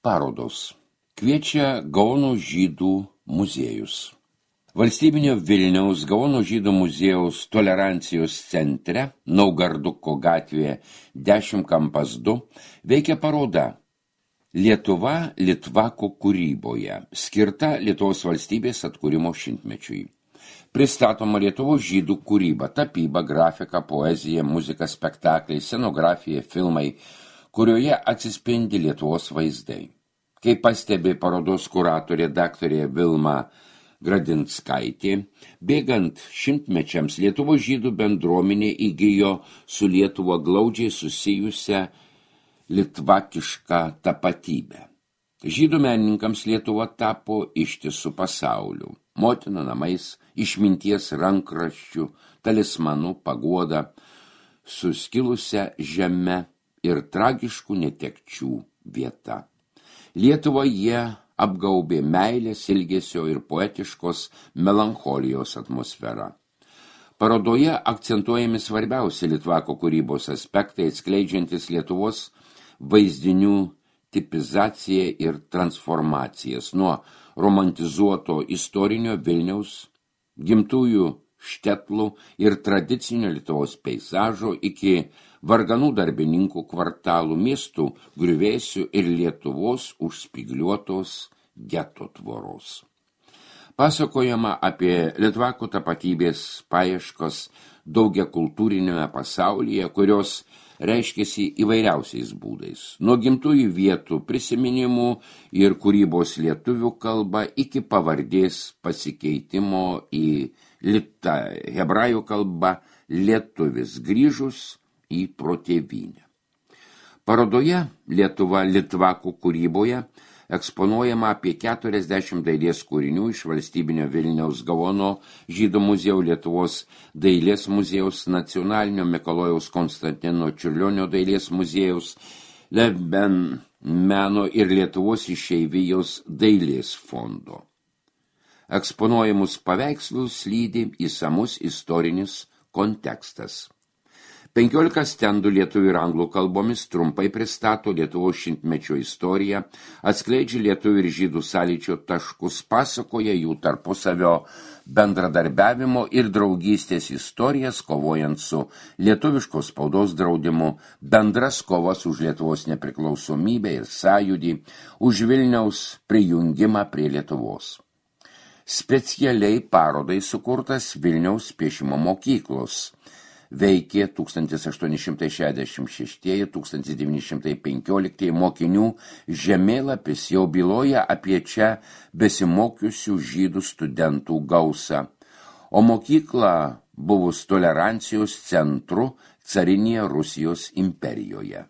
Parodos. Kviečia Gaono žydų muziejus. Valstybinio Vilniaus Gaono žydų muziejaus tolerancijos centre, Naugarduko gatvėje 10-2, veikia paroda Lietuva litvakų kūryboje, skirta Lietuvos valstybės atkūrimo šimtmečiui. Pristatoma Lietuvos žydų kūryba, tapyba, grafika, poezija, muzika, spektakliai, scenografija, filmai, kurioje atsispindi Lietuvos vaizdai. Kaip pastebi parodos kuratorė daktarė Vilma Gradinskaitė, bėgant šimtmečiams Lietuvos žydų bendruomenė įgijo su Lietuva glaudžiai susijusią litvakišką tapatybę. Žydų menininkams Lietuva tapo ištisų pasauliu, motina namais, išminties rankraščių, talismanų, paguoda, suskilusią žemę ir tragiškų netekčių vieta. Lietuvą jie apgaubė meilės, ilgesio ir poetiškos melancholijos atmosferą. Parodoje akcentuojami svarbiausi litvako kūrybos aspektai, atskleidžiantis Lietuvos vaizdinių tipizaciją ir transformacijas nuo romantizuoto istorinio Vilniaus, gimtųjų štetlų ir tradicinio Lietuvos peizažo iki varganų darbininkų kvartalų, miestų griuvėsių ir Lietuvos užspigliuotos geto tvoros. Pasakojama apie litvakų tapatybės paieškos daugiakultūrinėme pasaulyje, kurios reiškiasi įvairiausiais būdais. Nuo gimtųjų vietų prisiminimų ir kūrybos lietuvių kalba iki pavardės pasikeitimo į hebrajų kalbą lietuvis grįžus į protėvynę. Parodoje Lietuva litvakų kūryboje eksponuojama apie 40 dailės kūrinių iš valstybinio Vilniaus Gaono žydų muziejaus, Lietuvos dailės muziejaus, nacionalinio Mikalojaus Konstantino Čiurlionio dailės muziejaus, Leben meno ir Lietuvos išeivijos dailės fondo. Eksponuojamus paveikslus lydi išsamus istorinis kontekstas. 15 stendų lietuvių ir anglų kalbomis trumpai pristato Lietuvos šimtmečio istoriją, atskleidžia lietuvių ir žydų sąlyčio taškus, pasakoja jų tarpusavio bendradarbiavimo ir draugystės istorijas, kovojant su lietuviškos spaudos draudimu, bendras kovas už Lietuvos nepriklausomybę ir sąjūdį, už Vilniaus prijungimą prie Lietuvos. Specialiai parodai sukurtas Vilniaus piešimo mokyklos. Veikė 1866-1915 mokinių žemėlapis jau byloja apie čia besimokiusių žydų studentų gausą, o mokykla buvus tolerancijos centru carinėje Rusijos imperijoje.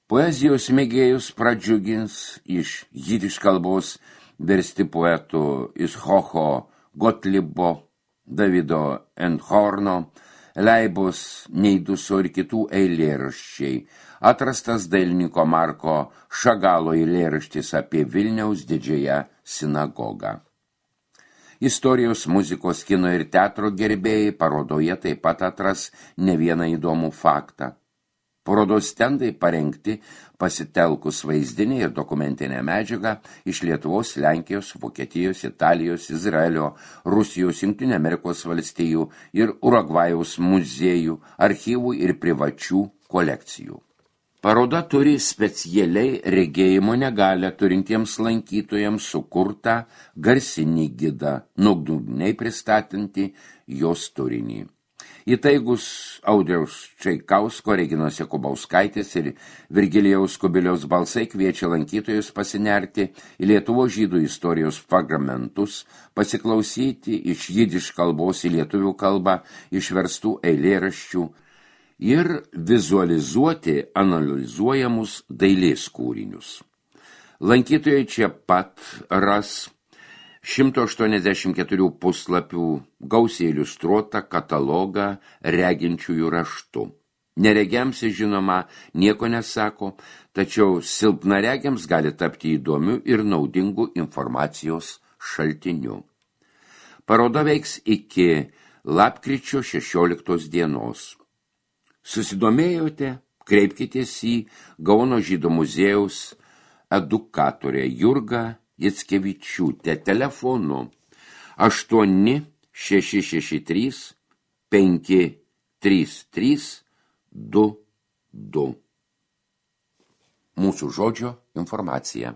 Poezijos mėgėjus pradžiugins iš jidiš kalbos versti poetų Ischocho Gotlibo, Davido Endhorno, Leibos Neiduso ir kitų eilėraščiai, atrastas dailininko Marko Šagalo eilėraštis apie Vilniaus didžiąją sinagogą. Istorijos, muzikos, kino ir teatro gerbėjai parodoje taip pat atras ne vieną įdomų faktą. Parodos stendai parengti pasitelkus vaizdinę ir dokumentinę medžiagą iš Lietuvos, Lenkijos, Vokietijos, Italijos, Izraelio, Rusijos, Jungtinių Amerikos valstijų ir Urugvajaus muziejų, archyvų ir privačių kolekcijų. Paroda turi specialiai regėjimo negalią turintiems lankytojams sukurtą garsinį gidą, nuodugniai pristatantį jos turinį. Įtaigus Audriaus Čaikausko, Reginos Jakubauskaitės ir Virgilijaus Kubiliaus balsai kviečia lankytojus pasinerti į Lietuvos žydų istorijos fragmentus, pasiklausyti iš jidiš kalbos į lietuvių kalbą išverstų eilėraščių ir vizualizuoti analizuojamus dailės kūrinius. Lankytojai čia pat ras 184 puslapių gausiai iliustruotą katalogą reginčiųjų raštu. Neregiams, žinoma, nieko nesako, tačiau silpnaregiams gali tapti įdomiu ir naudingu informacijos šaltiniu. Paroda veiks iki lapkričio 16 dienos. Susidomėjote? Kreipkitės į Gaono žydų muziejaus edukatorė Jurga Jackevičiūtė telefonu 8-663 53322. Mūsų žodžio informacija.